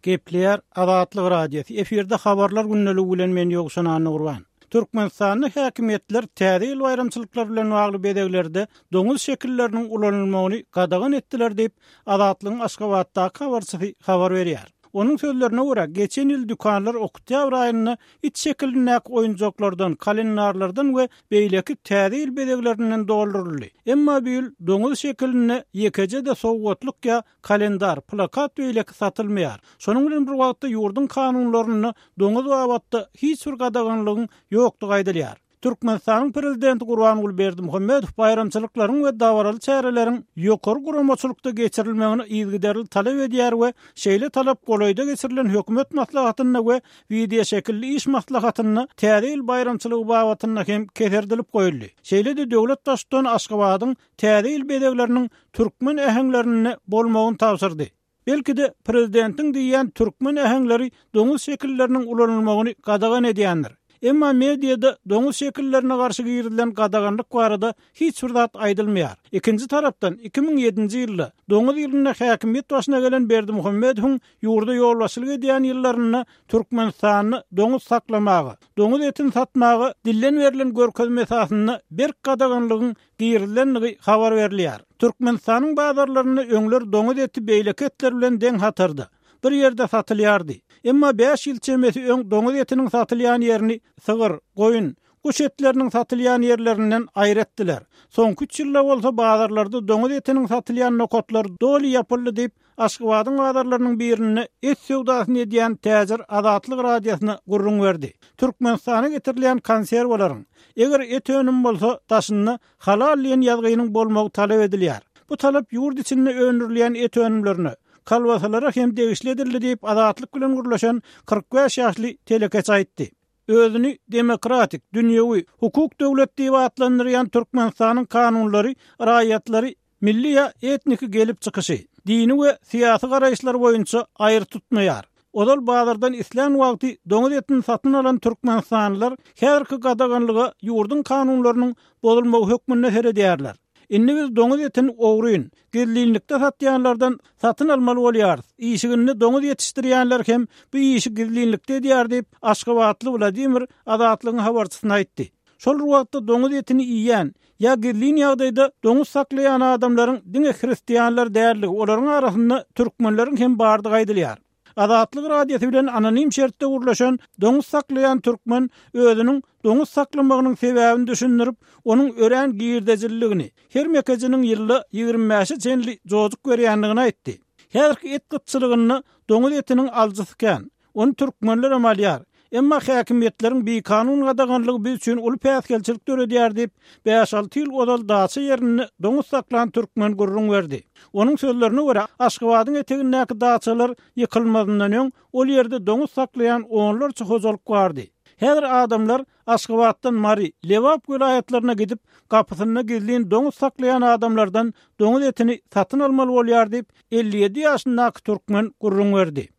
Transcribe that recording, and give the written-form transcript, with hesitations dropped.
Gepleýär Azatlyk Radiosy, efirde Habarlar gündeligi bilen men Ýowşan Annagurban. Türkmenistanda häkimiýetler Täze ýyl baýramçylyklary bilen bagly bezeglerde doňuz şekilleriniň ulanylmagyny gadagan etdiler diýip, Azatlygyň Aşgabatdaky habarçysy habar berýär. Onuň sözlerine görä, geçen ýyl dükanlar oktýabr aýynda it şekilindäki oýunjaklardan, kalendarlardan we beýleki Täze ýyl bezeglerinden dolduryldy. Emma bu ýyl doňuz şekilinde ýekeje-de sowgatlyk ýa kalendar, plakat beýleki satylmaýar. Şonuň bilen bir wagtda ýurduň kanunlarynda doňuz babatda hiç bir gadaganlygyň ýokdugy aýdylýar. Türkmenistanyň Prezidenti Gurbanguly Berdimuhamedow baýramçylyklaryň we dabaraly çäreleriň ýokary guramaçylykda geçirilmegini yzygiderli talap edýär we şeýle talap golaýda geçirilen hökümet maslahatynda we wideoşekilli iş maslahatynda Täze ýyl baýramçylygy babatynda hem keserdilip goýuldy. Şeýle-de döwlet Baştutany Aşgabadyň Täze ýyl bezegleriniň türkmen äheňlerinde bolmagyny tabşyrdy. Belki-de, prezidentiň diýýän türkmen äheňleri doňuz şekilleriniň ulanylmagyny gadagan edýändir. Emma mediada doňuz şekillerine garşy girizilen gadaganlyk barada hiç bir zat aýdylmaýar. Ikinji tarapdan, 2007-nji ýylda, doňuz ýylynda häkimiýet başyna gelen Berdimuhamedowyň ýurda ýolbaşçylyk edýän ýyllarynda Türkmenistanda doňuz saklamaga, doňuz etini satmaga dilden berlen görkezme esasynda berk gadaganlygyň girizilendigi habar berilýär. Türkmenistanyň bazarlarynda öňler doňuz eti beýleki etler bilen deň hatarda, bir ýerde satylýardy. Emma bäş ýyl çemesi öň doňuz etiniň satylýan ýerini sygyr, goýun, guş etleriniň satylýan ýerlerinden aýry etdiler. Soňky üç ýylda bolsa bazarlarda doňuz etiniň satylýan nokatlary doly ýapyldy diýip, Aşgabadyň bazarlarynyň birinde et söwdasyny edýän täjir Azatlyk Radiosyna gürrüň berdi. Türkmenistana getirilýän konserwalaryň, eger et önümi bolsa, daşynda Halal diýen ýazgynyň bolmagy talap edilýär. Bu talap ýurt içinde öndürilýän et önümlerine, kolbasalara hem degişli edildi diýip, Azatlyk bilen gürleşen 45 ýaşly telekeçi aýtdy. Özüni demokratik, dünýewi, hukuk döwlet diýip atlandyrýan Türkmenistanyň kanunlary raýatlary milli ýa etniki gelip çykyşy, dini we syýasy garaýyşlary boýunça aýry tutmaýar. Ozal bazardan islän wagty doňuz etini satyn alan türkmenistanlylar häzirki gadaganlyga ýurduň kanunlarynyň bozulmagy hökmünde seredýärler. Indi biz doňuz etini ogryn, gizlinlikde satýanlardan satyn almaly bolýarys. Işiginde doňuz ýetişdirýänler hem bu işi gizlinlikde edýär diýip, aşgabatly Wladimir Azatlygyň habarçysyna aýtdy. Şol bir wagtda doňuz etini iýýän ýa gizlin ýagdaýda doňuz saklaýan adamlaryň diňe hristianlar däldigi, olaryň arasynda türkmenleriň hem bardygy aýdylýar. Azatlyk Radiosy bilen anonim şertde gürleşen doňuz saklaýan türkmen özüniň doňuz saklamagynyň sebäbini düşündirip, onuň örän girdejililigini, her mekejiniň ýylda 25 bäşe çenli jojuk berýändigini aýtdy. Häzirki et gytçylygynda doňuz etiniň alyjysy kän. Ony türkmenlerem alýar. Emma häkimiýetleriň bikanun gadaganlygy biz üçin uly päsgelçilik döredýär diýip, bäş-alty ýyl ozal daça ýerinde doňuz saklan türkmen gürrüň berdi. Onuň sözlerine görä, Aşgabadyň etegindäki daçalar ýykylmazyndan öň, ol ýerde doňuz saklaýan onlarça hojalyk bardy. Häzir adamlar Aşgabatdan Mary, Lebap welaýatlaryna gidip, gapysynda gizlin doňuz saklaýan adamlardan doňuz etini satyn almaly bolýar diýip, 57 ýaşyndaky türkmen gürrüň berdi.